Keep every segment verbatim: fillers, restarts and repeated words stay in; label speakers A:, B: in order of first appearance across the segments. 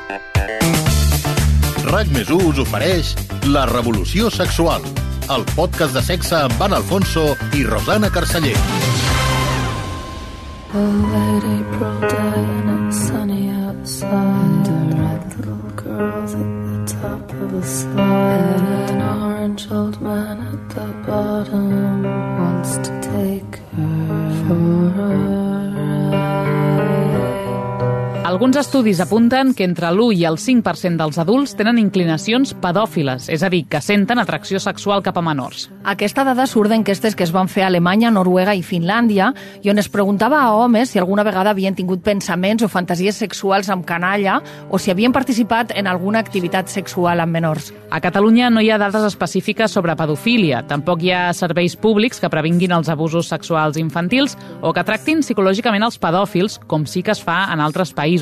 A: RAC més u us ofereix La Revolució Sexual, el podcast de sexe amb Anna Alfonso i Rosana Carceller.
B: A late April day and it's sunny outside. A red little girl's at the top of a slide. An orange old man at the bottom wants to take her for a ride.
C: Alguns estudis apunten que entre l'u i el cinc per cent dels adults tenen inclinacions pedòfiles, és a dir, que senten atracció sexual cap a menors.
D: Aquesta dada surt d'enquestes que es van fer a Alemanya, Noruega i Finlàndia i on es preguntava a homes si alguna vegada havien tingut pensaments o fantasies sexuals amb canalla o si havien participat en alguna activitat sexual amb menors.
C: A Catalunya no hi ha dades específiques sobre pedofília, tampoc hi ha serveis públics que previnguin els abusos sexuals infantils o que tractin psicològicament els pedòfils, com sí que es fa en altres països.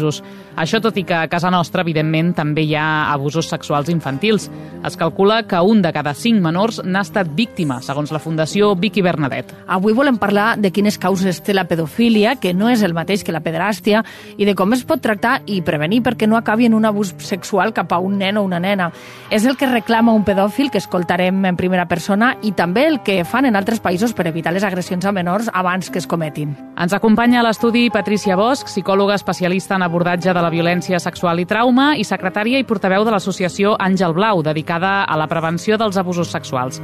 C: Això tot i que a casa nostra, evidentment, també hi ha abusos sexuals infantils. Es calcula que un de cada cinc menors n'ha estat víctima, segons la Fundació Vicky Bernadet.
D: Avui volem parlar de quines causes té la pedofília, que no és el mateix que la pederàstia, i de com es pot tractar i prevenir perquè no acabi en un abús sexual cap a un nen o una nena. És el que reclama un pedòfil, que escoltarem en primera persona, i també el que fan en altres països per evitar les agressions a menors abans que es cometin.
C: Ens acompanya a l'estudi Patricia Bosch, psicòloga especialista en abordatge de la violència sexual i trauma i secretària i portaveu de l'associació Àngel Blau, dedicada a la prevenció dels abusos sexuals.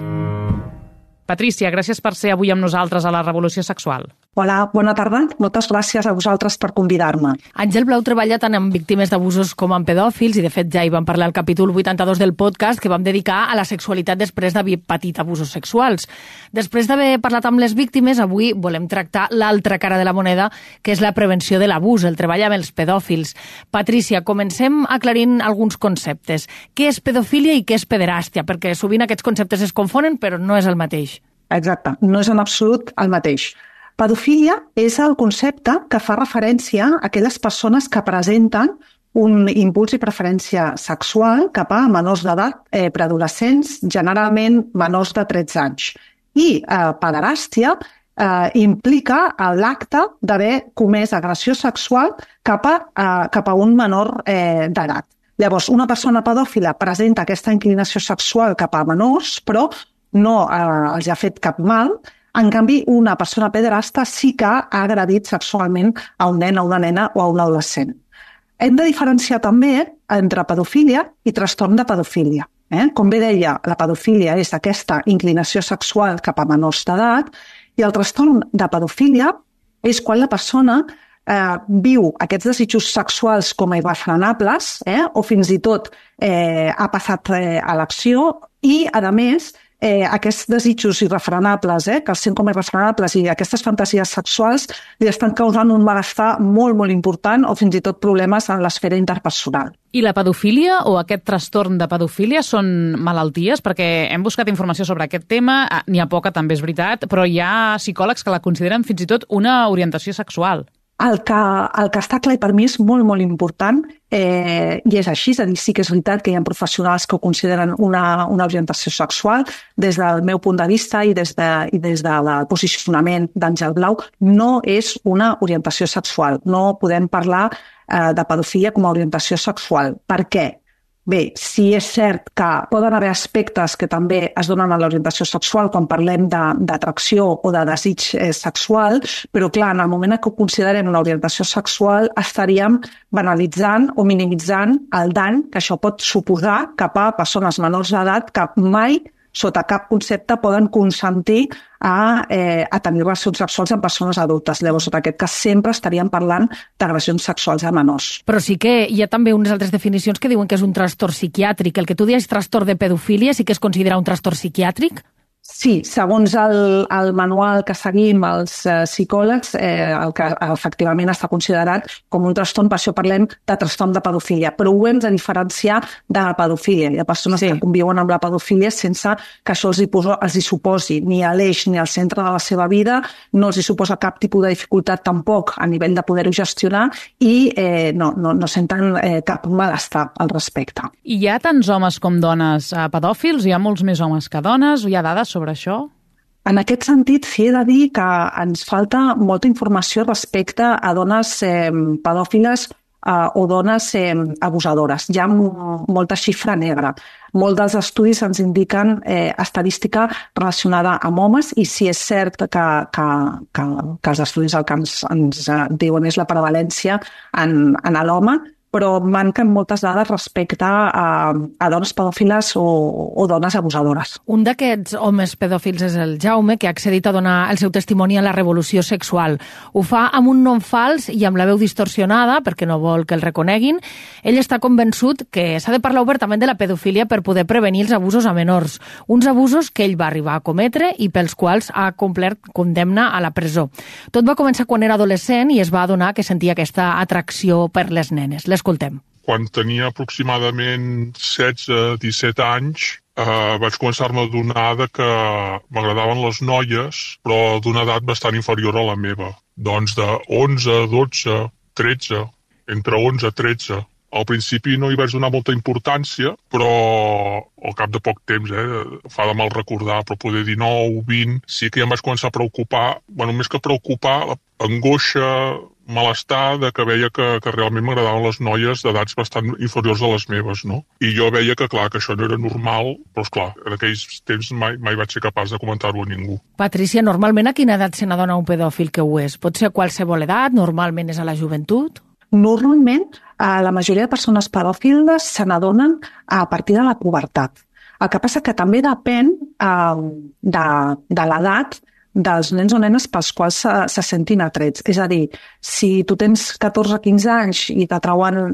C: Patricia, gràcies per ser avui amb nosaltres a la Revolució Sexual.
E: Hola, bona tarda. Moltes gràcies a vosaltres per convidar-me.
D: Àngel Blau treballa tant amb víctimes d'abusos com amb pedòfils i, de fet, ja hi vam parlar al capítol vuitanta-dos del podcast que vam dedicar a la sexualitat després d'haver patit abusos sexuals. Després d'haver parlat amb les víctimes, avui volem tractar l'altra cara de la moneda, que és la prevenció de l'abús, el treball amb els pedòfils. Patricia, comencem aclarint alguns conceptes. Què és pedofília i què és pederàstia? Perquè sovint aquests conceptes es confonen, però no és el mateix.
E: Exacte, no és en absolut el mateix. Pedofília és el concepte que fa referència a aquelles persones que presenten un impuls i preferència sexual cap a menors d'edat, eh, preadolescents, generalment menors de tretze anys. I eh, pederàstia eh, implica l'acte d'haver comès agressió sexual cap a, eh, cap a un menor eh, d'edat. Llavors, una persona pedòfila presenta aquesta inclinació sexual cap a menors, però no eh, els ha fet cap mal. En canvi, una persona pederasta sí que ha agredit sexualment a un nen, a una nena o a un adolescent. Hem de diferenciar també entre pedofília i trastorn de pedofília. Eh? Com bé deia, la pedofília és aquesta inclinació sexual cap a menors d'edat i el trastorn de pedofília és quan la persona eh, viu aquests desitjos sexuals com a irrefrenables eh? o fins i tot eh, ha passat eh, a l'acció i, a més, Eh, aquests desitjos irrefrenables, eh, que els sent com a irrefrenables i aquestes fantasies sexuals li estan causant un malestar molt, molt important o fins i tot problemes en l'esfera interpersonal.
C: I la pedofília o aquest trastorn de pedofília són malalties? Perquè hem buscat informació sobre aquest tema, n'hi ha poca, també és veritat, però hi ha psicòlegs que la consideren fins i tot una orientació sexual.
E: El que, el que està clar i per mi és molt, molt important eh, i és així, és a dir, sí que és veritat que hi ha professionals que ho consideren una, una orientació sexual. Des del meu punt de vista i des, de, i des del posicionament d'Àngel Blau no és una orientació sexual. No podem parlar eh, de pedofilia com a orientació sexual. Per què? Bé, sí és cert que poden haver aspectes que també es donen a l'orientació sexual quan parlem d'atracció o de desig eh, sexual, però clar, en el moment que ho considerem una orientació sexual estaríem banalitzant o minimitzant el dany que això pot suposar cap a persones menors d'edat que mai sota cap concepte poden consentir a, eh, a tenir relacions sexuals amb persones adultes. Llavors, en aquest cas, sempre estaríem parlant d'agressions sexuals a menors.
D: Però sí que hi ha també unes altres definicions que diuen que és un trastorn psiquiàtric. El que tu dius trastorn de pedofília sí que es considera un trastorn psiquiàtric?
E: Sí, segons el, el manual que seguim els eh, psicòlegs, eh, el que efectivament està considerat com un trastorn, per això parlem de trastorn de pedofília, però ho hem de diferenciar de la pedofília. Hi ha persones sí. que conviuen amb la pedofília sense que això els hi, poso, els hi suposi ni a l'eix ni al centre de la seva vida, no els hi suposa cap tipus de dificultat tampoc a nivell de poder-ho gestionar i eh, no, no, no senten eh, cap malestar al respecte.
C: I hi ha tants homes com dones eh, pedòfils? Hi ha molts més homes que dones? Hi ha dades sobre això?
E: En aquest sentit, sí he de dir que ens falta molta informació respecte a dones eh, pedòfiles uh, o dones eh, abusadores. Hi ha molta xifra negra. Molts dels estudis ens indiquen eh, estadística relacionada amb homes i si és cert que, que, que, que els estudis al que ens, ens diuen és la prevalència en, en l'home, però manquen moltes dades respecte a, a dones pedòfiles o, o dones abusadores.
D: Un d'aquests homes pedòfils és el Jaume, que ha accedit a donar el seu testimoni a la revolució sexual. Ho fa amb un nom fals i amb la veu distorsionada, perquè no vol que el reconeguin. Ell està convençut que s'ha de parlar obertament de la pedofília per poder prevenir els abusos a menors. Uns abusos que ell va arribar a cometre i pels quals ha complert condemna a la presó. Tot va començar quan era adolescent i es va adonar que sentia aquesta atracció per les nenes. Les escoltem.
F: Quan tenia aproximadament setze a disset anys, eh, vaig començar-me a adonar que m'agradaven les noies, però d'una edat bastant inferior a la meva. Doncs de onze, dotze, tretze, entre onze i tretze. Al principi no hi vaig donar molta importància, però al cap de poc temps, eh, fa de mal recordar, però poder dinou, vint, sí que ja em vaig començar a preocupar, bueno, més que preocupar, angoixa, malestar de que veia que, que realment m'agradaven les noies d'edats bastant inferiors a les meves, no? I jo veia que, clar, que això no era normal, però, esclar, en aquells temps mai, mai vaig ser capaç de comentar-ho a ningú.
D: Patricia, normalment a quina edat se n'adona un pedòfil que ho és? Pot ser a qualsevol edat? Normalment és a la joventut?
E: Normalment, la majoria de persones pedòfiles se n'adonen a partir de la pubertat. El que passa que també depèn eh, de, de l'edat dels nens o nenes pels quals se, se sentin atrets. És a dir, si tu tens catorze a quinze anys i t'atrauen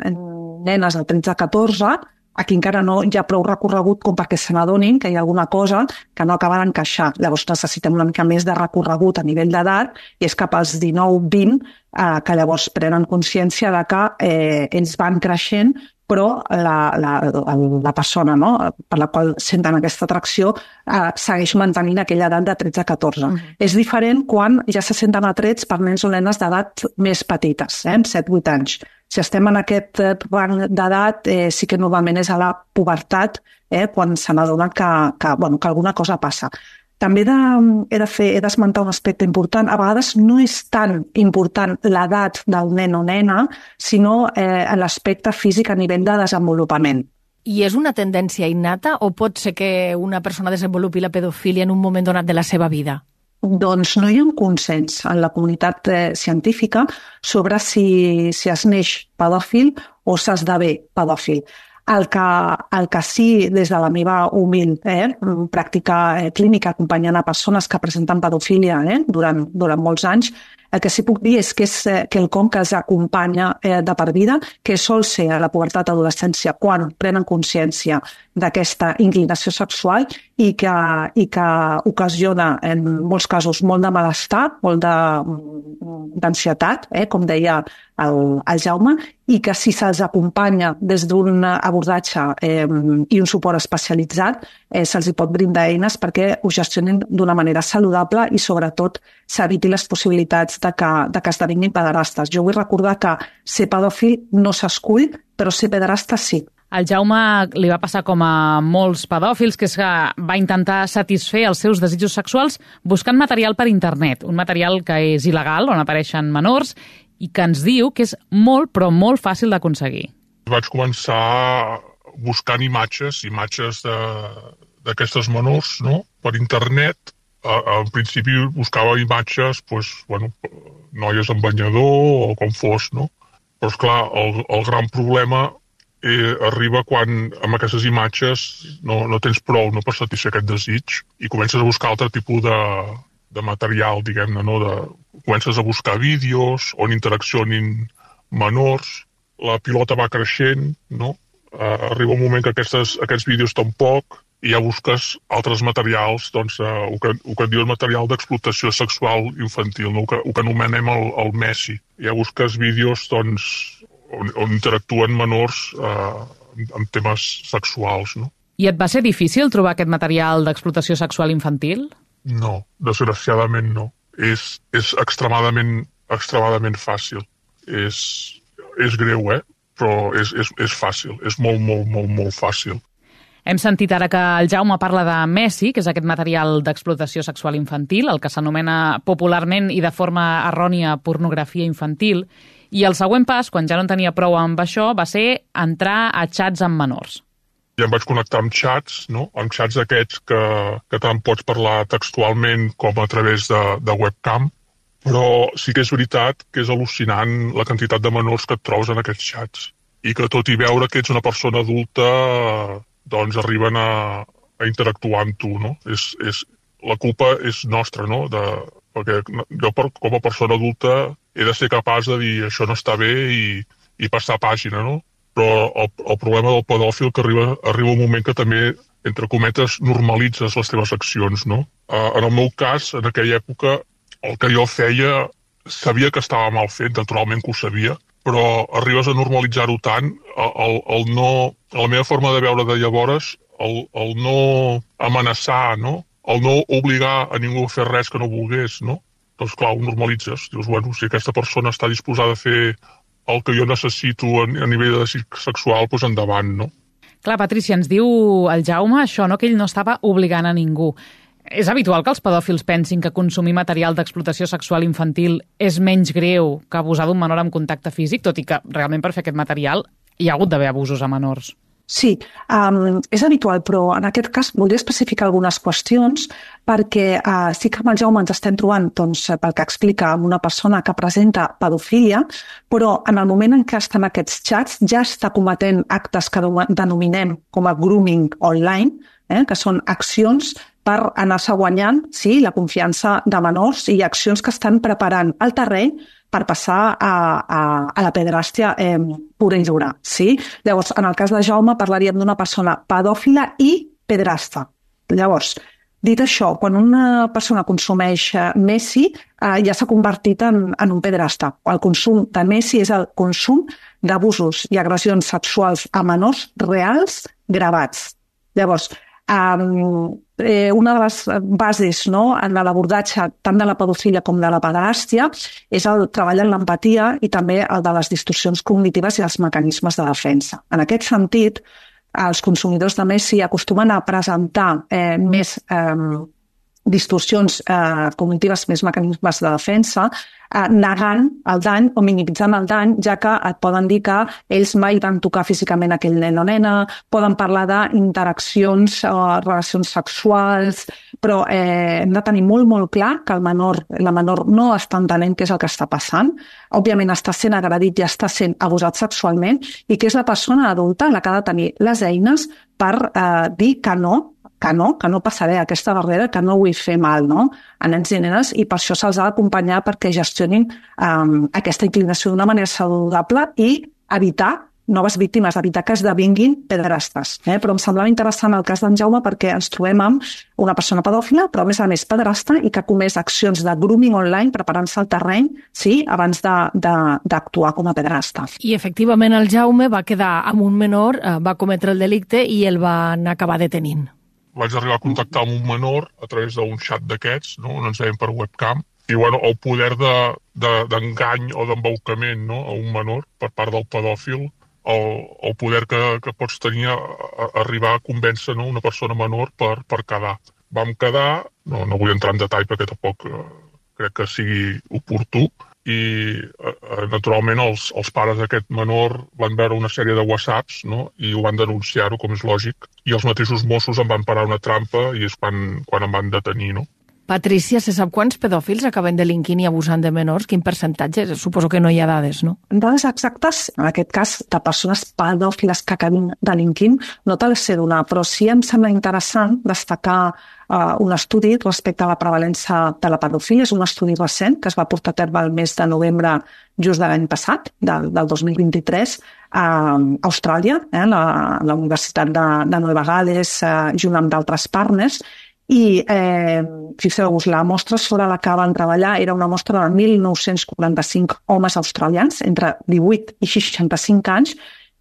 E: nenes de tretze a catorze, aquí encara no hi ha prou recorregut com perquè se n'adonin que hi ha alguna cosa que no acaba d'encaixar. Llavors necessitem una mica més de recorregut a nivell d'edat i és cap als dinou vint eh, que llavors prenen consciència de que eh, ells van creixent, però la, la, la persona, no, per la qual senten aquesta atracció eh, segueix mantenint aquella edat de tretze a catorze. Uh -huh. És diferent quan ja se senten atrets per nens o nenes d'edat més petites, eh, amb set vuit anys. Si estem en aquest rang d'edat, eh, sí que normalment és a la pubertat, eh, quan se n'adona que, que, bueno, que alguna cosa passa. També he de, he de fer, he d'esmentar un aspecte important. A vegades no és tan important l'edat del nen o nena, sinó eh, l'aspecte físic a nivell de desenvolupament.
D: I és una tendència innata o pot ser que una persona desenvolupi la pedofília en un moment donat de la seva vida?
E: Doncs no hi ha un consens en la comunitat eh, científica sobre si, si es neix pedòfil o s'esdevé pedòfil. El que, el que sí, des de la meva humil eh, pràctica eh, clínica acompanyant a persones que presenten pedofília eh, durant, durant molts anys, el que sí puc dir és que és eh, quelcom que els acompanya eh, de per vida, que sol ser a la pubertat adolescència quan prenen consciència d'aquesta inclinació sexual i que, i que ocasiona en molts casos molt de malestar, molt d'ansietat, eh, com deia el, el Jaume, i que si se'ls acompanya des d'un abordatge eh, i un suport especialitzat, eh, se'ls hi pot brindar eines perquè ho gestionin d'una manera saludable i sobretot s'eviti les possibilitats de que, de que esdevinguin pederastes. Jo vull recordar que ser pedòfil no s'escull, però ser pederasta sí.
C: Al Jaume li va passar com a molts pedòfils, que és que va intentar satisfer els seus desitjos sexuals buscant material per internet, un material que és il·legal, on apareixen menors, i que ens diu que és molt, però molt fàcil d'aconseguir.
F: Vaig començar buscant imatges, imatges d'aquestes menors, no?, per internet. Al principi buscava imatges, pues, bueno, noies amb banyador o com fos, no? Però, esclar, el, el gran problema eh, arriba quan amb aquestes imatges no, no tens prou no, per satisfer aquest desig i comences a buscar altre tipus de, de material, diguem-ne, no? De, comences a buscar vídeos on interaccionin menors, la pilota va creixent, no? Uh, arriba un moment que aquestes, aquests vídeos tampoc, i ja busques altres materials, doncs, uh, el, que, el que et diu el material d'explotació sexual infantil, no? el, que, el que anomenem el, el Messi. Ja busques vídeos doncs, on, on interactuen menors uh, amb temes sexuals. No?
C: I et va ser difícil trobar aquest material d'explotació sexual infantil?
F: No, desgraciadament no. És, és extremadament, extremadament fàcil. És, és greu, eh? Però és, és, és fàcil, és molt, molt, molt, molt fàcil.
C: Hem sentit ara que el Jaume parla de Messi, que és aquest material d'explotació sexual infantil, el que s'anomena popularment i de forma errònia pornografia infantil, I el següent pas, quan ja no en tenia prou amb això, va ser entrar a xats amb menors.
F: Ja em vaig connectar amb xats, no? Amb xats aquests que, que tant pots parlar textualment com a través de, de webcam, però sí que és veritat que és al·lucinant la quantitat de menors que et trobes en aquests xats i que tot i veure que ets una persona adulta doncs arriben a, a interactuar amb tu, no? És, és, la culpa és nostra, no? De, perquè jo per, com a persona adulta he de ser capaç de dir això no està bé i, i passar pàgina, no? Però el, el problema del pedòfil que arriba, arriba un moment que també, entre cometes, normalitzes les teves accions, no? Uh, en el meu cas, en aquella època, el que jo feia, sabia que estava mal fet, naturalment que ho sabia, però arribes a normalitzar-ho tant, el, el, el no, la meva forma de veure de llavors, el, el no amenaçar, no? El no obligar a ningú a fer res que no volgués, no? Doncs clar, ho normalitzes. Dius, bueno, si aquesta persona està disposada a fer el que jo necessito a, a nivell de sexual, doncs endavant, no?
C: Clar, Patrícia, ens diu el Jaume això, no? Que ell no estava obligant a ningú. És habitual que els pedòfils pensin que consumir material d'explotació sexual infantil és menys greu que abusar d'un menor amb contacte físic, tot i que realment per fer aquest material hi ha hagut d'haver abusos a menors.
E: Sí, um, és habitual, però en aquest cas voldria especificar algunes qüestions perquè uh, sí que amb el Jaume ens estem trobant, doncs, pel que explica, amb una persona que presenta pedofília, però en el moment en què està en aquests xats ja està cometent actes que denominem com a grooming online, eh, que són accions per anar-se guanyant, sí, la confiança de menors i accions que estan preparant el terreny per passar a, a, a la pederàstia eh, pura i dura. Sí? Llavors, en el cas de Jaume parlaríem d'una persona pedòfila i pederasta. Llavors, dit això, quan una persona consumeix Messi, eh, ja s'ha convertit en, en un pederasta. El consum de Messi és el consum d'abusos i agressions sexuals a menors reals gravats. Llavors, Um, eh, una de les bases, no, en l'abordatge tant de la pedofilia com de la pederàstia és el treball en l'empatia i també el de les distorsions cognitives i els mecanismes de defensa. En aquest sentit, els consumidors de Messi acostumen a presentar eh, més eh, distorsions eh, cognitives, més mecanismes de defensa, eh, negant el dany o minimitzant el dany, ja que et poden dir que ells mai van tocar físicament aquell nen o nena, poden parlar d'interaccions o relacions sexuals, però eh, hem de tenir molt, molt clar que el menor, la menor no està entenent què és el que està passant, òbviament està sent agredit i està sent abusat sexualment i que és la persona adulta la que ha de tenir les eines per eh, dir que no, que no, que no passaré aquesta barrera, que no vull fer mal, no?, a nens i nenes, i per això se'ls ha d'acompanyar perquè gestionin um, aquesta inclinació d'una manera saludable i evitar noves víctimes, evitar que esdevinguin pederastes. Eh? Però em semblava interessant el cas d'en Jaume perquè ens trobem amb una persona pedòfila, però a més a més pederasta i que ha comès accions de grooming online preparant-se al terreny, sí, abans d'actuar com a pederasta.
D: I efectivament el Jaume va quedar amb un menor, va cometre el delicte i el van acabar detenint.
F: Vaig arribar a contactar amb un menor a través d'un xat d'aquests, no? On ens veiem per webcam, i bueno, el poder d'engany de, de, o d'embaucament, no? A un menor per part del pedòfil, el, el poder que, que pots tenir a, a arribar a convèncer, no? Una persona menor per, per quedar. Vam quedar, no, no vull entrar en detall perquè tampoc eh, crec que sigui oportú, i eh, naturalment els, els pares d'aquest menor van veure una sèrie de whatsapps, no? I ho van denunciar-ho, com és lògic, i els mateixos Mossos em van parar una trampa i és quan, quan em van detenir, no?
D: Patricia, se sap quants pedòfils acaben delinquint i abusant de menors? Quin percentatge? Suposo que no hi ha dades, no?
E: Dades exactes, en aquest cas, de persones pedòfiles que acabin delinquint, no te les sé donar, però sí em sembla interessant destacar uh, un estudi respecte a la prevalença de la pedofília. És un estudi recent que es va portar a terme el mes de novembre just de l'any passat, del, del dos mil vint-i-tres, a Austràlia, eh, la, la Universitat de, de Nova Gales, eh, junt amb d'altres partners. I eh, fixeu-vos, la mostra sobre la que van treballar era una mostra de mil nou-cents quaranta-cinc homes australians entre divuit i seixanta-cinc anys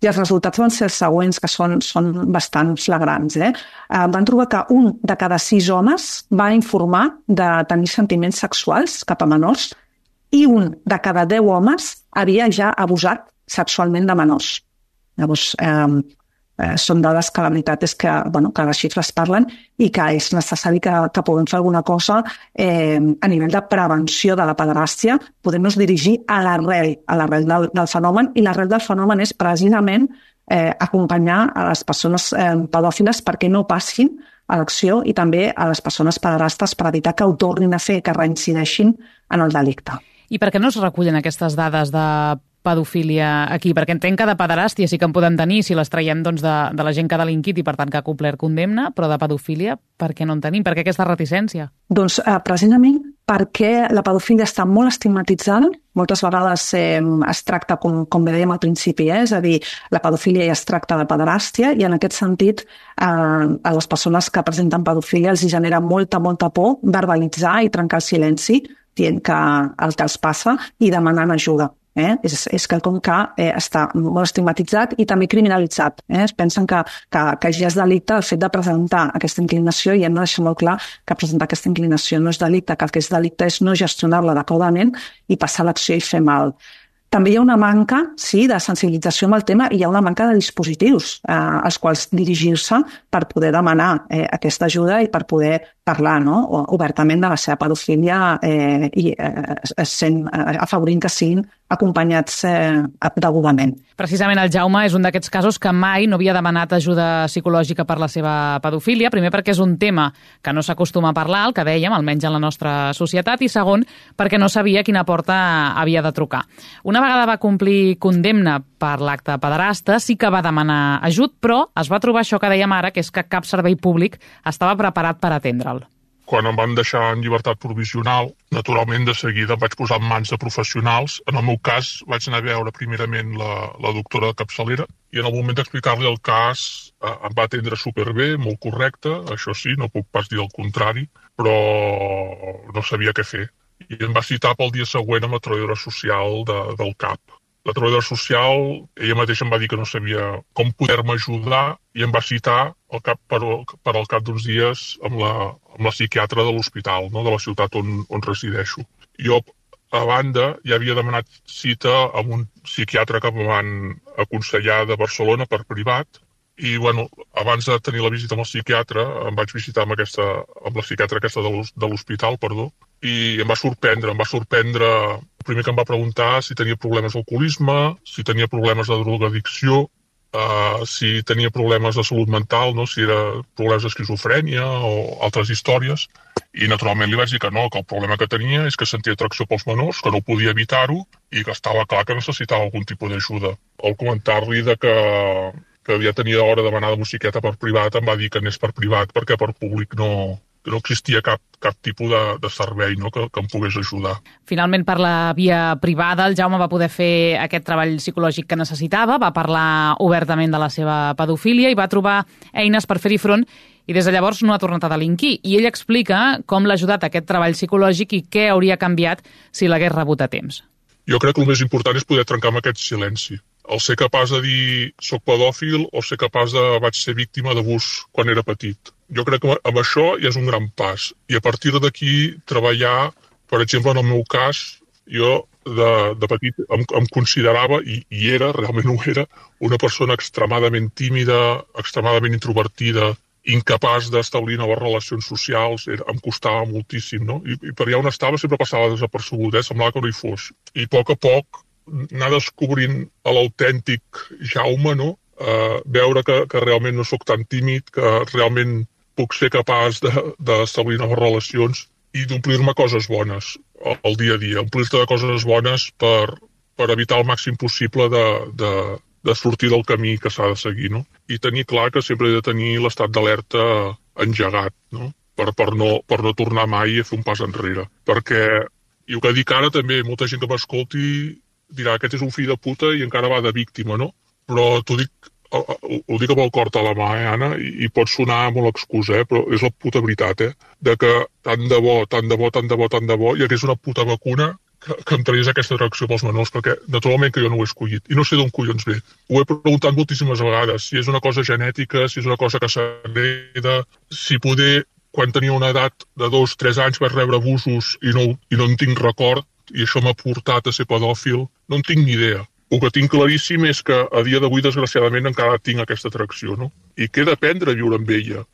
E: i els resultats van ser els següents, que són, són bastant flagrants. Eh? Eh, van trobar que un de cada sis homes va informar de tenir sentiments sexuals cap a menors i un de cada deu homes havia ja abusat sexualment de menors. Llavors, eh, eh, són dades que la veritat és que, bueno, que les xifres parlen i que és necessari que, que puguem fer alguna cosa eh, a nivell de prevenció de la pederàstia, podem-nos dirigir a l'arrel, a l'arrel del, del fenomen, i l'arrel del fenomen és precisament eh, acompanyar a les persones eh, pedòfiles perquè no passin a l'acció i també a les persones pederastes per evitar que ho tornin a fer, que reincideixin en el delicte.
C: I per què no es recullen aquestes dades de pedofília aquí? Perquè entenc que de pederàstia sí que en podem tenir si les traiem doncs, de, de la gent que ha delinquit i per tant que ha complert condemna, però de pedofília per què no en tenim? Per què aquesta reticència?
E: Doncs eh, precisament perquè la pedofília està molt estigmatitzada, moltes vegades eh, es tracta, com, com bé dèiem al principi, eh? És a dir, la pedofília ja es tracta de pederàstia i en aquest sentit eh, a les persones que presenten pedofília els genera molta, molta por verbalitzar i trencar el silenci dient que el que els passa i demanant ajuda. Eh? És, és quelcom que eh, està molt estigmatitzat i també criminalitzat. Eh? Es pensen que, que, que ja és delicte el fet de presentar aquesta inclinació i hem de deixar molt clar que presentar aquesta inclinació no és delicte, que el que és delicte és no gestionar-la adequadament i passar a l'acció i fer mal. També hi ha una manca, sí, de sensibilització amb el tema i hi ha una manca de dispositius eh, als quals dirigir-se per poder demanar eh, aquesta ajuda i per poder parlar, no? Obertament de la seva pedofília eh, i eh, sent, eh, afavorint que siguin acompanyats eh, degudament.
C: Precisament el Jaume és un d'aquests casos que mai no havia demanat ajuda psicològica per la seva pedofília, primer perquè és un tema que no s'acostuma a parlar, el que dèiem, almenys en la nostra societat, i segon, perquè no sabia quina porta havia de trucar. Una vegada va complir condemna per l'acte pederasta, sí que va demanar ajut, però es va trobar això que dèiem ara, que és que cap servei públic estava preparat per atendre'l.
F: Quan em van deixar en llibertat provisional, naturalment de seguida em vaig posar en mans de professionals. En el meu cas vaig anar a veure primerament la, la doctora de capçalera i en el moment d'explicar-li el cas eh, em va atendre superbé, molt correcte, això sí, no puc pas dir el contrari, però no sabia què fer. I em va citar pel dia següent amb la treballadora social de, del C A P. La treballadora social, ella mateixa em va dir que no sabia com poder-me ajudar i em va citar al cap, per, per al cap d'uns dies amb la, amb la psiquiatra de l'hospital, no, de la ciutat on, on resideixo. Jo, a banda, ja havia demanat cita amb un psiquiatre que em van aconsellar de Barcelona per privat i, bueno, abans de tenir la visita amb el psiquiatre, em vaig visitar amb, aquesta, amb la psiquiatra aquesta de l'hospital, perdó, i em va sorprendre, em va sorprendre el primer que em va preguntar si tenia problemes d'alcoholisme, si tenia problemes de drogadicció, uh, si tenia problemes de salut mental, no? Si era problemes d'esquizofrènia o altres històries, i naturalment li vaig dir que no, que el problema que tenia és que sentia atracció pels menors, que no podia evitar-ho i que estava clar que necessitava algun tipus d'ajuda. Al comentar-li de que, que ja tenia hora de demanar de un psiquiatre per privat, em va dir que anés per privat perquè per públic no... no existia cap, cap tipus de, de servei, no? que, que em pogués ajudar.
C: Finalment, per la via privada, el Jaume va poder fer aquest treball psicològic que necessitava, va parlar obertament de la seva pedofília i va trobar eines per fer-hi front i des de llavors no ha tornat a delinquir. I ell explica com l'ha ajudat aquest treball psicològic i què hauria canviat si l'hagués rebut a temps.
F: Jo crec que el més important és poder trencar amb aquest silenci. El ser capaç de dir soc pedòfil o ser capaç de vaig ser víctima d'abús quan era petit. Jo crec que amb això ja és un gran pas. I a partir d'aquí treballar, per exemple, en el meu cas, jo de, de petit em, em considerava, i, i era, realment ho era, una persona extremadament tímida, extremadament introvertida, incapaç d'establir noves relacions socials, era, em costava moltíssim, no? I, i per allà on estava sempre passava desapercebut, eh? Semblava que no hi fos. I a poc a poc anar descobrint l'autèntic Jaume, no? Uh, veure que, que realment no sóc tan tímid, que realment puc ser capaç d'establir noves relacions i d'omplir-me coses bones al dia a dia, omplir-te de coses bones per, per evitar el màxim possible de, de, de sortir del camí que s'ha de seguir, no? I tenir clar que sempre he de tenir l'estat d'alerta engegat, no? Per, per no, per no tornar mai a fer un pas enrere. Perquè, i el que dic ara també, molta gent que m'escolti dirà aquest és un fill de puta i encara va de víctima, no? Però t'ho dic, ho, ho dic amb el cor a la mà, eh, Anna, i, i pot sonar molt excusa, eh, però és la puta veritat, eh? De que tant de bo, tant de bo, tant de bo, tant de bo, hi hagués una puta vacuna que, que em tragués aquesta atracció pels menors, perquè naturalment que jo no ho he escollit, i no sé d'on collons ve. Ho he preguntat moltíssimes vegades, si és una cosa genètica, si és una cosa que s'hereda, si poder, quan tenia una edat de dos o tres anys vaig rebre abusos i no, i no en tinc record, i això m'ha portat a ser pedòfil, no en tinc ni idea. el que tinc claríssim és que a dia d'avui, desgraciadament, encara tinc aquesta atracció, no? I què d'aprendre a viure amb ella?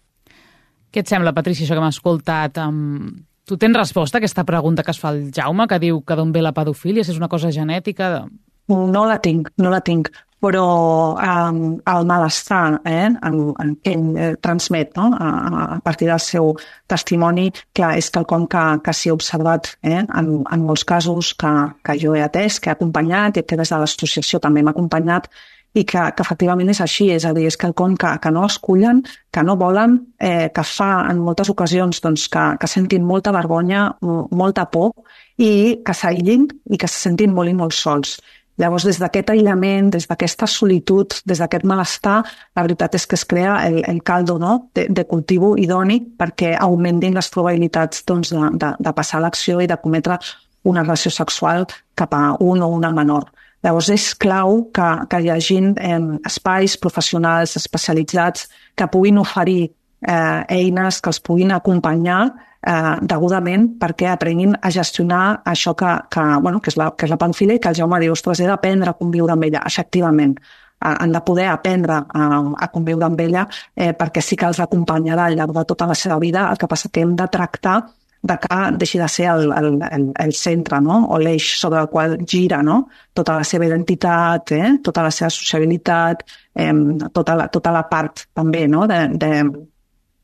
C: Què et sembla, Patrícia, això que m'ha escoltat? Um, tu tens resposta a aquesta pregunta que es fa el Jaume, que diu que d'on ve la pedofília, si és una cosa genètica?
E: No la tinc, no la tinc, però um, el malestar eh, en, en què ell eh, transmet, no? a, a partir del seu testimoni, clar, és quelcom que, que s'hi ha observat eh, en, en molts casos que, que jo he atès, que he acompanyat i que des de l'associació també m'ha acompanyat, i que, que efectivament és així, és a dir, és quelcom que, que no escullen, que no volen, eh, que fa en moltes ocasions doncs, que, que sentin molta vergonya, molta por, i que s'aïllin i que se sentin molt i molt sols. Llavors, des d'aquest aïllament, des d'aquesta solitud, des d'aquest malestar, la veritat és que es crea el, el caldo no? de, de cultiu idoni perquè augmentin les probabilitats doncs, de, de, de passar a l'acció i de cometre una relació sexual cap a un o una menor. Llavors, és clau que, que hi hagi eh, espais professionals especialitzats que puguin oferir eh, eines, que els puguin acompanyar eh, degudament perquè aprenguin a gestionar això que, que, bueno, que, és la, que és la pedofília i que el Jaume diu, ostres, he d'aprendre a conviure amb ella, efectivament. Eh, han de poder aprendre a, a conviure amb ella eh, perquè sí que els acompanyarà al llarg de tota la seva vida, el que passa que hem de tractar de que deixi de ser el, el, el, el centre, no? O l'eix sobre el qual gira, no? Tota la seva identitat, eh? Tota la seva sociabilitat, eh? tota, la, tota la part també no? de, de,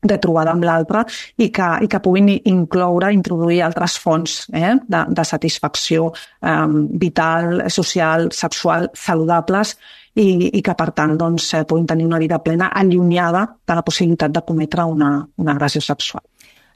E: de trobada amb l'altre i que, i que puguin incloure, introduir altres fonts eh? de, de satisfacció eh? vital, social, sexual, saludables i, i que, per tant, doncs, puguin tenir una vida plena allunyada de la possibilitat de cometre una, una agressió sexual.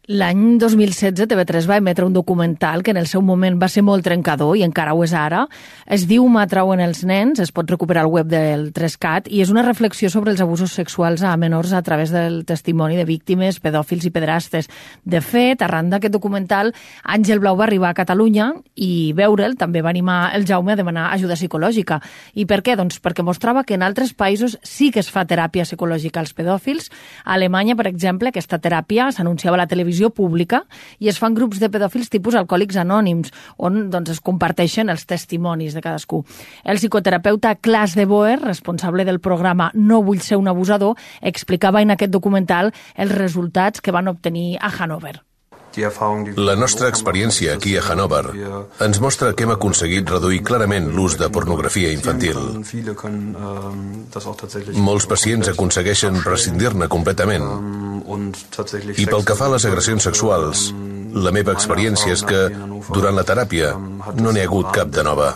D: L'any dos mil setze T V tres va emetre un documental que en el seu moment va ser molt trencador i encara ho és ara. Es diu M'atrauen els nens, es pot recuperar al web del tres cat i és una reflexió sobre els abusos sexuals a menors a través del testimoni de víctimes, pedòfils i pedrastes. De fet, arran d'aquest documental, Àngel Blau va arribar a Catalunya i veure'l també va animar el Jaume a demanar ajuda psicològica. I per què? Doncs perquè mostrava que en altres països sí que es fa teràpia psicològica als pedòfils. A Alemanya, per exemple, aquesta teràpia s'anunciava a la televisió pública i es fan grups de pedòfils tipus alcohòlics anònims, on doncs, es comparteixen els testimonis de cadascú. El psicoterapeuta Klaas de Boer, responsable del programa No vull ser un abusador, explicava en aquest documental els resultats que van obtenir a Hannover.
G: La nostra experiència aquí a Hannover ens mostra que hem aconseguit reduir clarament l'ús de pornografia infantil. Molts pacients aconsegueixen prescindir-ne completament. I pel que fa a les agressions sexuals, la meva experiència és que durant la teràpia no n'hi ha hagut cap de nova.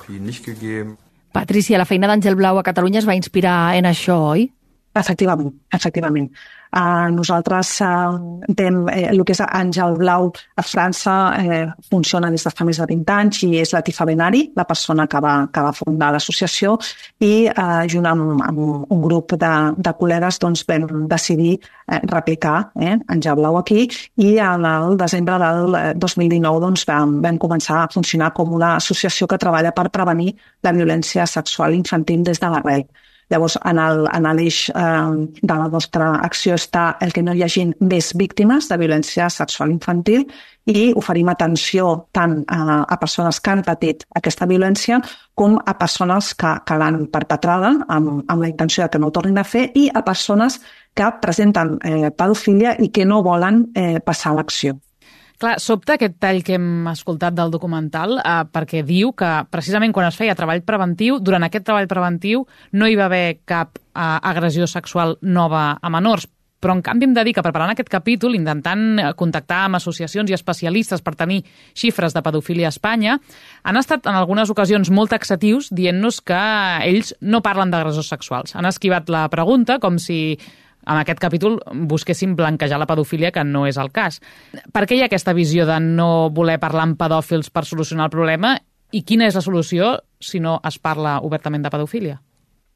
D: Patrícia, la feina d'Àngel Blau a Catalunya es va inspirar en això, oi?
E: Efectivament, efectivament. Uh, nosaltres uh, tem, eh, el que és Àngel Blau a França eh, funciona des de fa més de vint anys i és Latifa Benari, la persona que va, que va fundar l'associació i eh, junt amb, amb un grup de, de col·legues doncs, vam decidir eh, replicar eh, Àngel Blau aquí i en el desembre del dos mil dinou doncs, vam, vam començar a funcionar com una associació que treballa per prevenir la violència sexual infantil des de l'arrel. Llavors, en l'eix eh, de la nostra acció està el que no hi hagi més víctimes de violència sexual infantil i oferim atenció tant a, a persones que han patit aquesta violència com a persones que, que l'han perpetrada amb, amb la intenció de que no ho tornin a fer i a persones que presenten eh, pedofília i que no volen eh, passar a l'acció.
C: Clar, sobta aquest tall que hem escoltat del documental eh, perquè diu que precisament quan es feia treball preventiu, durant aquest treball preventiu no hi va haver cap eh, agressió sexual nova a menors. Però en canvi hem de dir que preparant aquest capítol, intentant contactar amb associacions i especialistes per tenir xifres de pedofília a Espanya, han estat en algunes ocasions molt taxatius dient-nos que ells no parlen d'agressors sexuals. Han esquivat la pregunta com si en aquest capítol busquéssim blanquejar la pedofília, que no és el cas. Per què hi ha aquesta visió de no voler parlar amb pedòfils per solucionar el problema i quina és la solució si no es parla obertament de pedofília?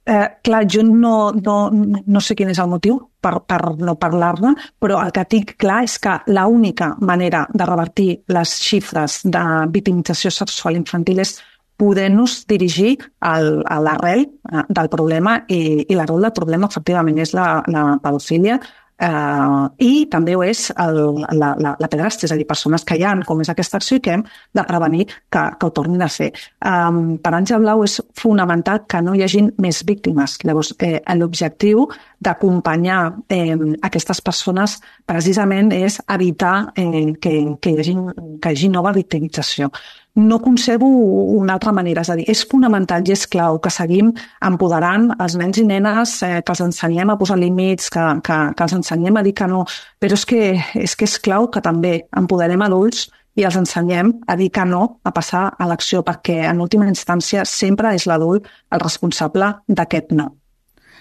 E: Eh, clar, jo no, no, no sé quin és el motiu per, per no parlar-ne, però el que tinc clar és que l'única manera de revertir les xifres de victimització sexual infantil és poder-nos dirigir al, a l'arrel del problema i, i l'arrel del problema efectivament és la, la pedofília Uh, I també ho és el, la, la, la pedrastia, és a dir, persones que hi ha, com és aquesta acció, i que hem de prevenir que, que ho tornin a fer. Um, per Àngel Blau és fonamental que no hi hagin més víctimes. Llavors, eh, l'objectiu d'acompanyar eh, aquestes persones precisament és evitar eh, que, que, hi hagi, que hi hagi nova victimització. No concebo una altra manera, és a dir, és fonamental i és clau que seguim empoderant els nens i nenes, eh, que els ensenyem a posar límits, que, que, que els ensenyem a dir que no, però és que, és que és clau que també empoderem adults i els ensenyem a dir que no, a passar a l'acció, perquè en última instància sempre és l'adult el responsable d'aquest no.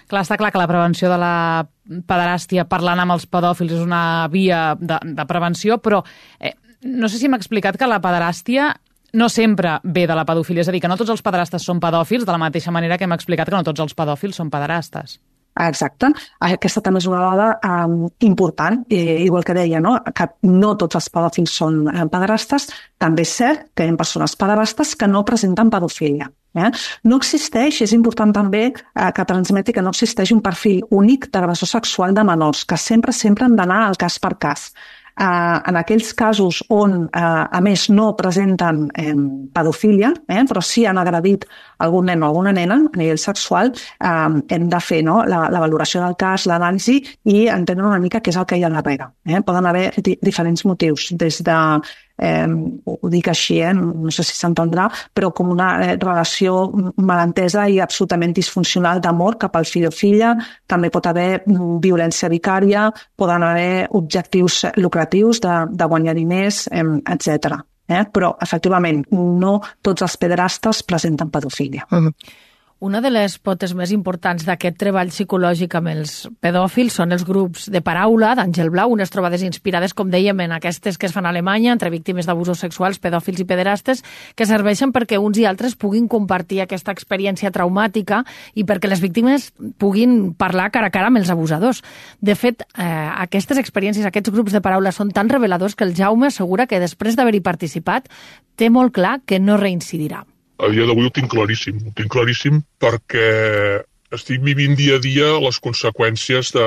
C: Clar, està clar que la prevenció de la pederàstia parlant amb els pedòfils és una via de, de prevenció, però eh, no sé si m'ha explicat que la pederàstia no sempre ve de la pedofilia, és a dir, que no tots els pederastes són pedòfils, de la mateixa manera que hem explicat que no tots els pedòfils són pederastes.
E: Exacte. Aquesta també és una dada um, important, eh, igual que deia, no? Que no tots els pedòfils són eh, pederastes. També és cert que hi ha persones pederastes que no presenten pedofilia. Eh? No existeix, és important també eh, que transmeti que no existeix un perfil únic d'agressor sexual de menors, que sempre, sempre han d'anar al cas per cas. Uh, en aquells casos on, uh, a més, no presenten eh, pedofilia, eh, però sí han agredit algun nen o alguna nena a nivell sexual, eh, hem de fer no, la, la valoració del cas, l'anàlisi i entendre una mica què és el que hi ha darrere. Eh? Poden haver di- diferents motius, des de Eh, ho dic així, eh? No sé si s'entendrà, però com una eh, relació malentesa i absolutament disfuncional d'amor cap al fill o filla. També pot haver mm, violència vicària, poden haver objectius lucratius de, de guanyar diners, eh, etcètera. Eh? Però, efectivament, no tots els pederastes presenten pedofilia.
D: Mm-hmm. Una de les potes més importants d'aquest treball psicològic amb els pedòfils són els grups de paraula d'Àngel Blau, unes trobades inspirades, com dèiem, en aquestes que es fan a Alemanya entre víctimes d'abusos sexuals, pedòfils i pederastes, que serveixen perquè uns i altres puguin compartir aquesta experiència traumàtica i perquè les víctimes puguin parlar cara a cara amb els abusadors. De fet, eh, aquestes experiències, aquests grups de paraula són tan reveladors que el Jaume assegura que després d'haver-hi participat té molt clar que no reincidirà.
F: A dia d'avui ho tinc claríssim, ho tinc claríssim perquè estic vivint dia a dia les conseqüències de,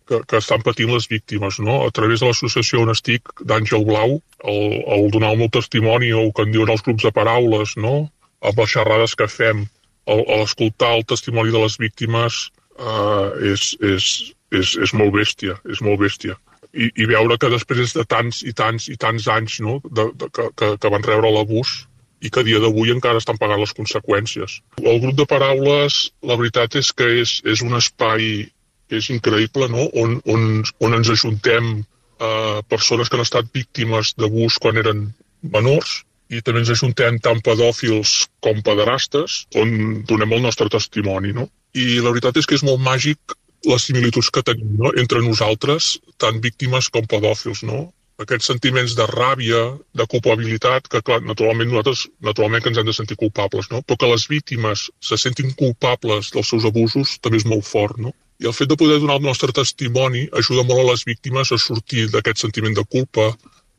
F: que, que estan patint les víctimes, no? A través de l'associació on estic, d'Àngel Blau, el, el donar el meu testimoni o que en diuen els grups de paraules, no? Amb les xerrades que fem, el, l'escoltar el testimoni de les víctimes eh, és, és, és, és molt bèstia, és molt bèstia. I, i veure que després de tants i tants i tants anys, no? de, de, que, que, que van rebre l'abús, i que a dia d'avui encara estan pagant les conseqüències. El grup de paraules, la veritat és que és, és un espai que és increïble, no? on, on, on ens ajuntem eh, persones que han estat víctimes d'abús quan eren menors, i també ens ajuntem tant pedòfils com pederastes, on donem el nostre testimoni. No? I la veritat és que és molt màgic les similituds que tenim, no? Entre nosaltres, tant víctimes com pedòfils, no? Aquests sentiments de ràbia, de culpabilitat, que clar, naturalment nosaltres naturalment que ens hem de sentir culpables, no? Però que les víctimes se sentin culpables dels seus abusos també és molt fort, no? I el fet de poder donar el nostre testimoni ajuda molt a les víctimes a sortir d'aquest sentiment de culpa,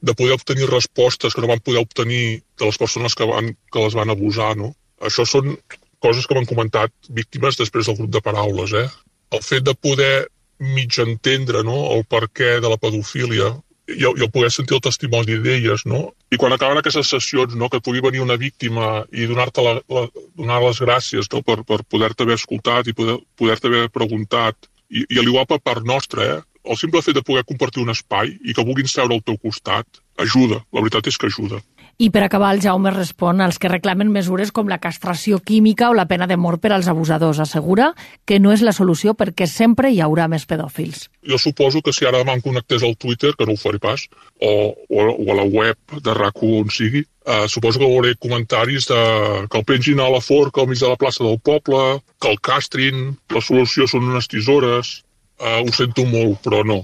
F: de poder obtenir respostes que no van poder obtenir de les persones que, van, que les van abusar, no? Això són coses que m'han comentat víctimes després del grup de paraules, eh? El fet de poder mig entendre, no? El perquè de la pedofília, i el, i el poder sentir el testimoni d'elles, no? I quan acaben aquestes sessions, no? Que et pugui venir una víctima i donar-te la, la, donar les gràcies, no? Per, per poder-te haver escoltat i poder, poder-te haver preguntat. I, i a l'igual per part nostra, eh? El simple fet de poder compartir un espai i que vulguin seure al teu costat ajuda, la veritat és que ajuda.
D: I per acabar, el Jaume respon als que reclamen mesures com la castració química o la pena de mort per als abusadors. Assegura que no és la solució perquè sempre hi haurà més pedòfils.
F: Jo suposo que si ara demà em connectés al Twitter, que no ho faré pas, o, o, o a la web de R A C u on sigui, eh, suposo que veuré comentaris de que el pengin a la forca al mig de la plaça del poble, que el castrin, la solució són unes tisores. Eh, ho sento molt, però no,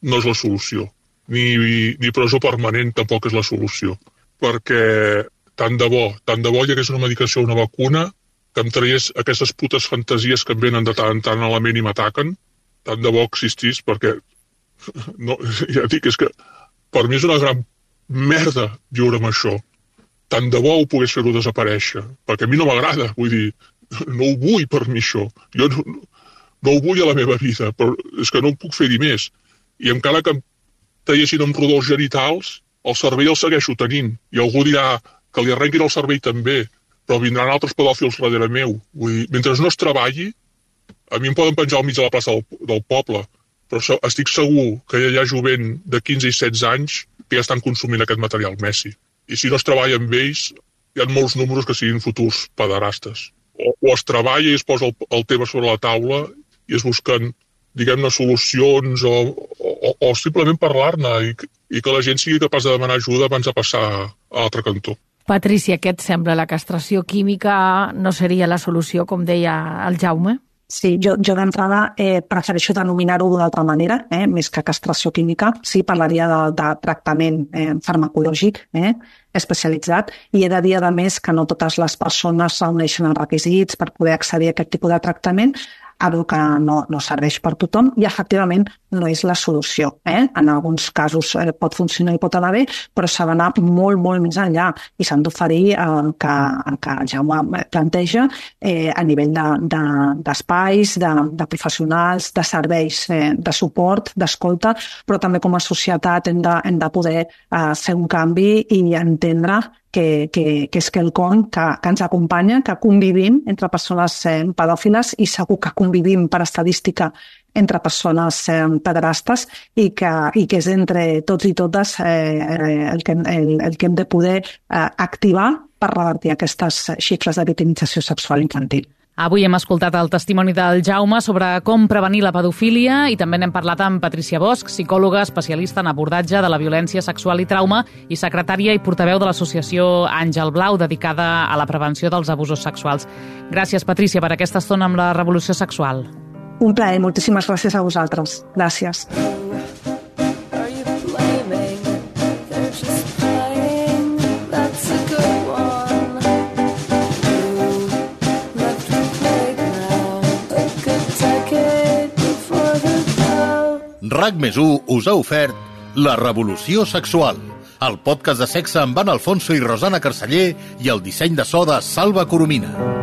F: no és la solució. Ni, ni presó permanent tampoc és la solució. Perquè tant de bo, tant de bo hi hagués una medicació o una vacuna que em tragués aquestes putes fantasies que em venen de tant en tant a la ment i m'ataquen, tant de bo existís, perquè no, ja dic, és que per mi és una gran merda viure amb això. Tant de bo ho pogués fer-ho desaparèixer, perquè a mi no m'agrada, vull dir, no ho vull per mi això. Jo no, no ho vull a la meva vida, però és que no ho puc fer-hi més. i encara que em tallessin amb rodolls genitals, el cervell el segueixo tenint. I algú dirà que li arrenquin el cervell també, però vindran altres pedòfils darrere meu. Vull dir, mentre no es treballi, a mi em poden penjar al mig de la plaça del, del poble, però estic segur que hi ha jovent de quinze i setze anys que ja estan consumint aquest material Messi. I si no es treballa amb ells, hi ha molts números que siguin futurs pederastes. O, o es treballa i es posa el, el tema sobre la taula i es busquen, diguem-ne, solucions o, o, o simplement parlar-ne i, i que la gent sigui capaç de demanar ajuda abans de passar a l'altre cantó.
D: Patricia, què et sembla? La castració química no seria la solució, com deia el Jaume?
E: Sí, jo, jo d'entrada eh, prefereixo denominar-ho d'una altra manera, eh, més que castració química. Sí, parlaria de, de tractament eh, farmacològic eh, especialitzat, i he de dir, a més, que no totes les persones reuneixen els requisits per poder accedir a aquest tipus de tractament, algo que no, no serveix per tothom i efectivament no és la solució. Eh? En alguns casos eh, pot funcionar i pot anar bé, però s'ha d'anar molt, molt més enllà i s'han d'oferir el eh, que, el que el Jaume planteja eh, a nivell d'espais, de, de, de professionals, de serveis eh, de suport, d'escolta, però també com a societat hem de, hem de poder eh, fer un canvi i entendre que, que, que és quelcom que, que ens acompanya, que convivim entre persones eh, pedòfiles i segur que convivim per estadística entre persones eh, pederastes i que, i que és entre tots i totes eh, el, que, el, el que hem de poder eh, activar per revertir aquestes xifres de victimització sexual infantil.
C: Avui hem escoltat el testimoni del Jaume sobre com prevenir la pedofília i també n'hem parlat amb Patricia Bosch, psicòloga especialista en abordatge de la violència sexual i trauma i secretària i portaveu de l'associació Àngel Blau, dedicada a la prevenció dels abusos sexuals. Gràcies, Patricia, per aquesta estona amb la Revolució Sexual.
E: Un plaer, moltíssimes gràcies a vosaltres. Gràcies.
A: RAC més u us ha ofert La Revolució Sexual, el podcast de sexe amb Ana Alfonso i Rosana Carceller i el disseny de so de Salva Coromina.